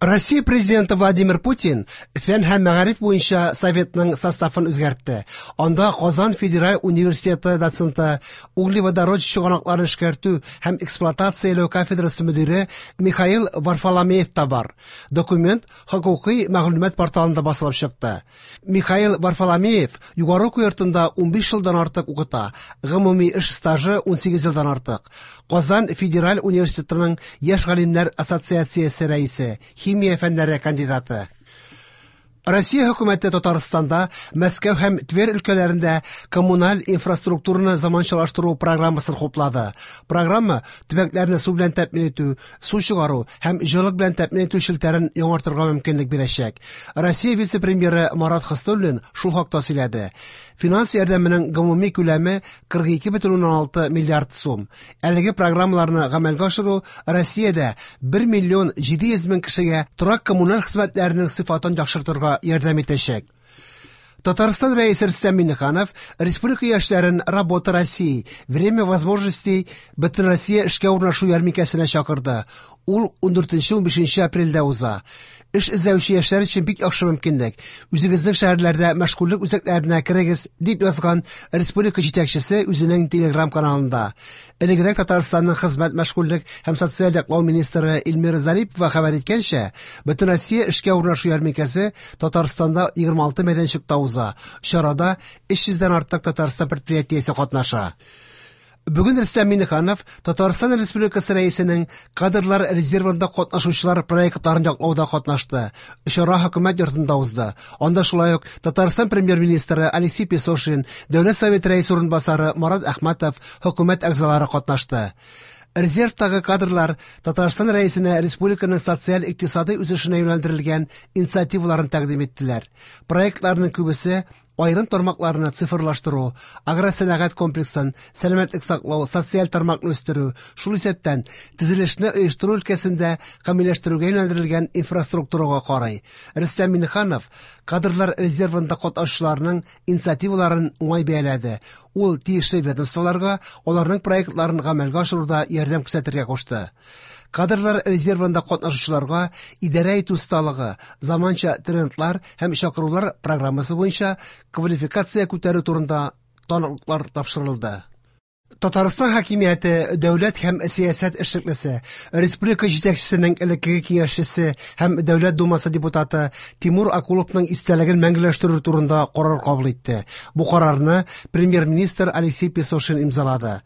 Россия президенты Владимир Путин фән һәм мәгариф буенча советның составын үзгәртте. Анда Казан федераль университеты доценты, углеводород чыганакларын эшкәртү һәм эксплуатацияләү кафедрасы мөдире Михаил Варфоломеев та бар. Документ хокукый мәгълүмат порталында басылып чыкты. Михаил Варфоломеев югары уку йортында 15 елдан артык укыта, гомуми эш стажы 18 елдан артык. Казан федераль университетының яшь галимнәр ассоциациясе рәисе, химия фәннәре кандидаты. Россия хөкүмәте Татарстанда, Мәскәү һәм Тверь өлкәләрендә коммуналь инфраструктураны заманчалаштыру программасын хуплады. Программа төбәкләрне су белән тәэмин итү, су чыгару һәм җылылык белән тәэмин итү челтәрен яңартырга мөмкинлек бирәчәк. Россия вице-премьеры Марат Хөснуллин шул хакта сөйләде. Финанс ярдәменең гомуми күләме 42,6 миллиард сум. Әлеге программаларны гамәлгә ашыру Россиядә 1 миллион 700 мең кешегә торак-коммуналь хезмәтләренең сыйфатын яхшыртырга ярдәм итәчәк. Татарстан Рәисе Рөстәм Миңнеханов республика яшьләрен «Работа России. Время возможностей» Бөтенроссия эшкә урнашу ярминкәсенә чакырды. Ул 14-15 апрельдә уза. Эш эзләүче яшьләр өчен бик яхшы мөмкинлек. Үзегезнең шәһәрләрдә мәшгульлек үзәкләренә керегез, дип язган республика җитәкчесе үзенең телеграм-каналында. Элегрәк Татарстанның хезмәт, мәшгульлек һәм социаль яклау министры Эльмира Зарипова хәбәр иткәнчә, Бөтенроссия эшкә урнашу ярминкәсе Татарстанда 26 мәйданчыкта уза. Чарада 300 дән артык Татарстан предприятиесе катнаша. Бүген Рөстәм Миңнеханов Татарстан Республикасы Рәисенең кадрлар резервында катнашучылар проектларын яклауда катнашты. Чара хөкүмәт йортында узды. Анда шулай ук Татарстан премьер-министры Алексей Песошин, Дәүләт Советы Рәисе урынбасары Марат Әхмәтов, хөкүмәт әгъзалары катнашты. Резервтагы кадрлар Татарстан Рәисенә республиканың социаль-икътисадый үсешенә юнәлдерелгән инициативаларын тәкъдим иттеләр. Проектларның күбесе аерым тармакларны цифрлаштыру, агросәнәгать комплексын, сәламәтлек саклау, социаль тармакны үстерү, шул исәптән төзелешне оештыру өлкәсендә камилләштерүгә юнәлдерелгән инфраструктурага карый. Рөстәм Миңнеханов кадрлар резервында катнашучыларның инициативаларын уңай бәяләде. Ул тиешле ведомстволарга аларның проектларын гамәлгә ашыруда ярдәм күрсәтергә кушты. Кадрлар резервында катнашучыларга идарә итү осталыгы, заманча трендлар һәм чакырулар программасы буенча квалификация күтәрү турында таныклыклар тапшырылды. Татарстан хакимияте дәүләт һәм сәясәт эшлеклесе, республика җитәкчесенең элеккеге киңәшчесе һәм Дәүләт Думасы депутаты Тимур Акуловның истәлеген мәңгеләштерү турында карар кабул итте. Бу карарны премьер-министр Алексей Песошин имзалады.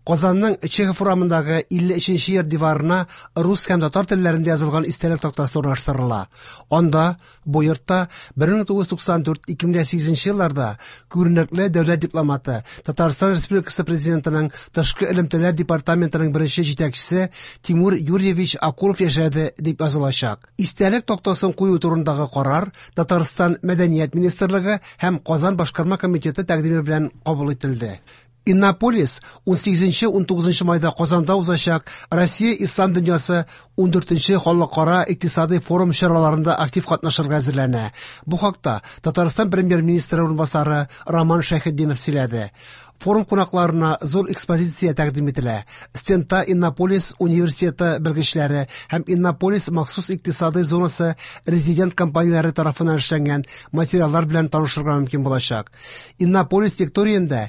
Казанның Чехов урамындагы 53 нче йорт диварына рус һәм татар телләрендә язылган истәлек тактасы урнаштырыла. Анда бу йортта 1994-2008 елларда күренекле дәүләт дипломаты, Татарстан Республикасы Президентының тышкы элемтәләр департаментының беренче җитәкчесе Тимур Юрьевич Акулов яшәде дип язылачак. Истәлек тактасын кую турындагы карар Татарстан Мәдәният министрлыгы һәм Казан башкарма комитеты тәкъдиме белән кабул ителде. Иннополис 18-19 майда Казанда узачак Россия Ислам дөньясы 14 халыкара икътисадый форум чараларында актив катнашырга әзерләнә. Бу хакта Татарстан премьер-министры урынбасары Роман Шәйхетдинов сөйләде. Форум кунакларына зур экспозиция тәкъдим ителә. Стендта Иннополис университеты белгечләре һәм Иннополис махсус икътисадый зонасы резидент компанияләре тарафыннан эшләнгән материаллар белән танышырга мөмкин булачак. Иннополис лекториендә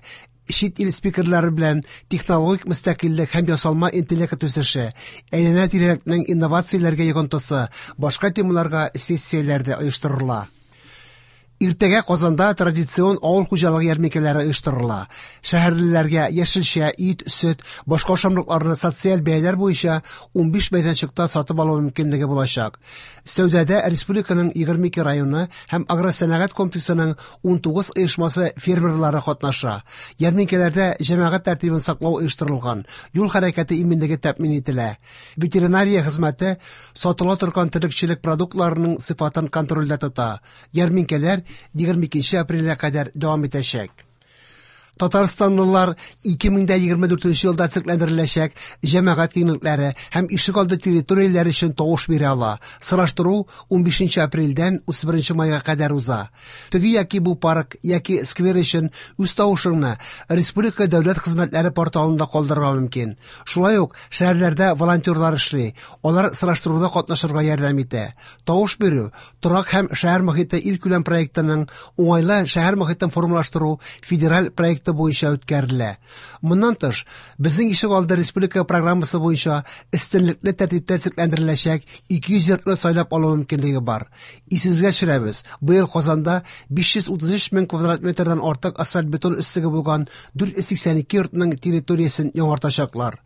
чит ил спикерлары белән технологик мөстәкыйльлек һәм ясалма интеллект үсеше, әйләнә-тирәлекнең инновацияләргә йогынтысы, башка темаларга сессияләр дә оештырыла. Иртәгә Казанда традицион авыл хуҗалыгы ярминкәләре оештырыла. Шәһәрлеләргә яшелчә, ит, сөт, башка ашамлыкларны социаль бәяләр буенча 15 мәйданчыкта сатып алу мөмкинлеге булачак. Сәүдәдә республиканың 22 районы һәм агросәнәгать комплексының 19 оешмасы фермерлары катнаша. Ярминкәләрдә җәмәгать тәртибен саклау оештырылган, юл хәрәкәте иминлеге тәэмин ителә. Ветеринария хезмәте сатыла торган терлекчелек продуктларының сыйфатын контрольдә тота. Ярминкәләр 22 апрельгә кадәр дәвам итәчәк. Татарстанлылар 2024 елда төзекләндереләчәк җәмәгать киңлекләре һәм ишегалды территорияләре өчен тавыш бирә ала. Сораштыру 15 апрельдән 31 майга кадәр уза. Теге яки бу парк яки сквер өчен үз тавышыңны Республика дәүләт хезмәтләре порталында калдырырга мөмкин. Шулай ук шәһәрләрдә волонтерлар эшли. Алар сораштыруда катнашырга ярдәм итә. Тавыш бирү Торак һәм шәһәр мохите илкүләм проектының Уңайлы шәһәр мохитен формалаштыру федераль проекты буенча үткәрелә. Моннан тыш, Безнең ишегалды республика программасы буенча өстенлекле тәртиптә төзекләндереләчәк 200 йортны сайлап алу мөмкинлеге бар. Исегезгә төшерәбез, быел Казанда 533 мең квадрат метрдан артык асфальт-бетон өслеге булган 482 йортның территориясен яңартачаклар.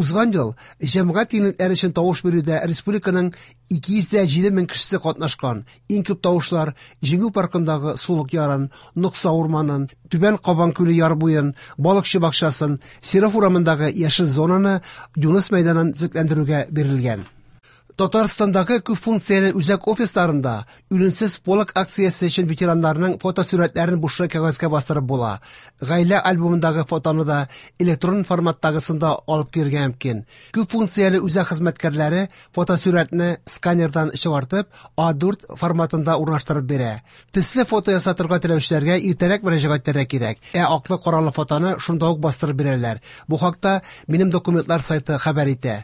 Узган ел җәмәгать киңлекләре өчен тавыш бирүдә республиканың 207 мең кешесе катнашкан. Иң күп тавышлар Җиңү паркындагы сулык ярын, Нокса урманын, Түбән Кабан күле яр буен, Балыкчы бакчасын, Серов урамындагы яшел зонаны, Юныс мәйданын төзекләндерүгә бирелгән. Татарстандагы күп функцияле үзәк офисларында Үлемсез полк акциясе өчен ветераннарның фотосурәтләрен бушлай кәгазьгә бастырып була. Гаилә альбомындагы фотоны да электрон форматтагысын да алып килергә мөмкин. Күп функцияле үзәк хезмәткәрләре фотосурәтне сканердан чыгартып, А4 форматында урнаштырып бирә. Төсле фото ясатырга теләүчеләргә иртәрәк мөрәҗәгать итәргә кирәк, ә аклы-каралы фотоны шунда ук бастырып бирәләр. Бу хакта Минем документлар сайты хәбәр итә.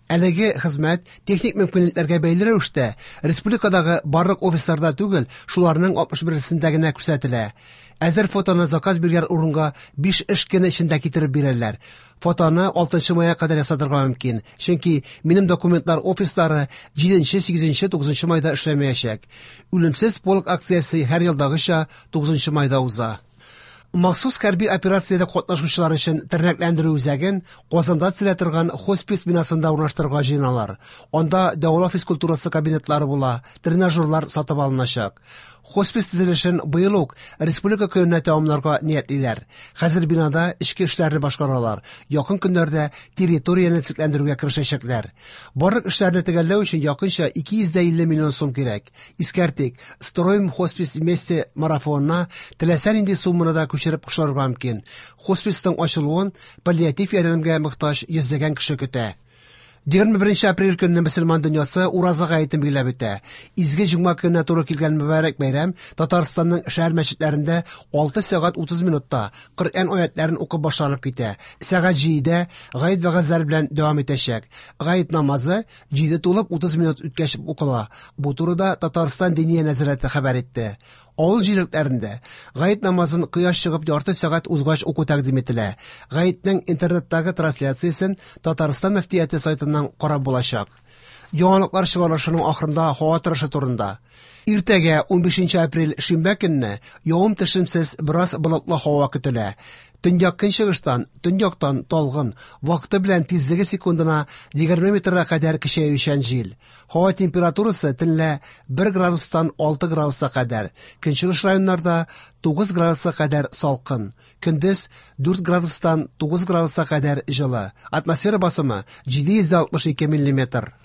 Әлеге хезмәт техник мөмкинлекләргә бәйле рәвештә республикадагы барлык офисларда түгел, шуларның 61-сендә генә күрсәтелә. Әзер фотоны заказ биргән урынга 5 эш көне эчендә китереп бирәләр. Фотоны 6 майга кадәр ясатырга мөмкин, чөнки Минем документлар офислары 7, 8, 9 майда эшләмәячәк. Үлемсез полк акциясе һәр елдагыча 9 майда уза. Махсус хәрби операциядә катнашучылар өчен тернәкләндерү үзәген Казанда төзелә торган хоспис бинасында урнаштырырга җыеналар. Анда дәвалау физкультурасы кабинетлары була, тренажерлар сатып алыначак. Хоспис төзелешен быел ук Республика көненә тәмамларга ниятлиләр. Хәзер бинада эчке эшләрне башкаралар, якын көннәрдә территорияне төзекләндерүгә керешәчәкләр. Барлык эшләрне төгәлләү өчен якынча 250 миллион сум кирәк. Искәртик, Строим хоспис вместе марафонына теләсә нинди сумманы да күчереп кушылырга мөмкин. Хосписның ачылуын паллиатив ярдәмгә мохтаҗ йөзләгән кеше көтә. 21 апрель көнне мөселман дөньясы Ураза гаетен билгеләп үтә. Изге җомга көненә туры килгән мөбарәк бәйрәм Татарстанның шәһәр мәчетләрендә 6 сәгать 30 минутта Коръән аятләрен укып башланып китә. Сәгать 7-дә гает вәгазьләре белән дәвам итәчәк. Гает намазы 7 тулып 30 минут үткәч укыла. Бу турыда Татарстан Диния нәзарәте хәбәр итте. Авыл җирлекләрендә гает намазын кояш чыгып ярты сәгать узгач уку тәкъдим ителә. Гаетнең интернеттагы трансляциясен Татарстан мөфтияте сайтыннан карап булачак. Яңалыклар чыгарылышының ахырында һава торышы турында. Иртәгә, 15 апрель шимбә көнне, явым-төшемсез бераз болытлы һава көтелә. Төньяк-көнчыгыштан, төньяктан талгын, вакыты белән тизлеге секундына 20 метрга кадәр көчәючән җил. Һава температурасы төнлә 1 градустан 6 градуска кадәр, көнчыгыш районнарда 9 градуска кадәр салкын, көндез 4 градустан 9 градуска кадәр җылы. Атмосфера басымы 762 миллиметр.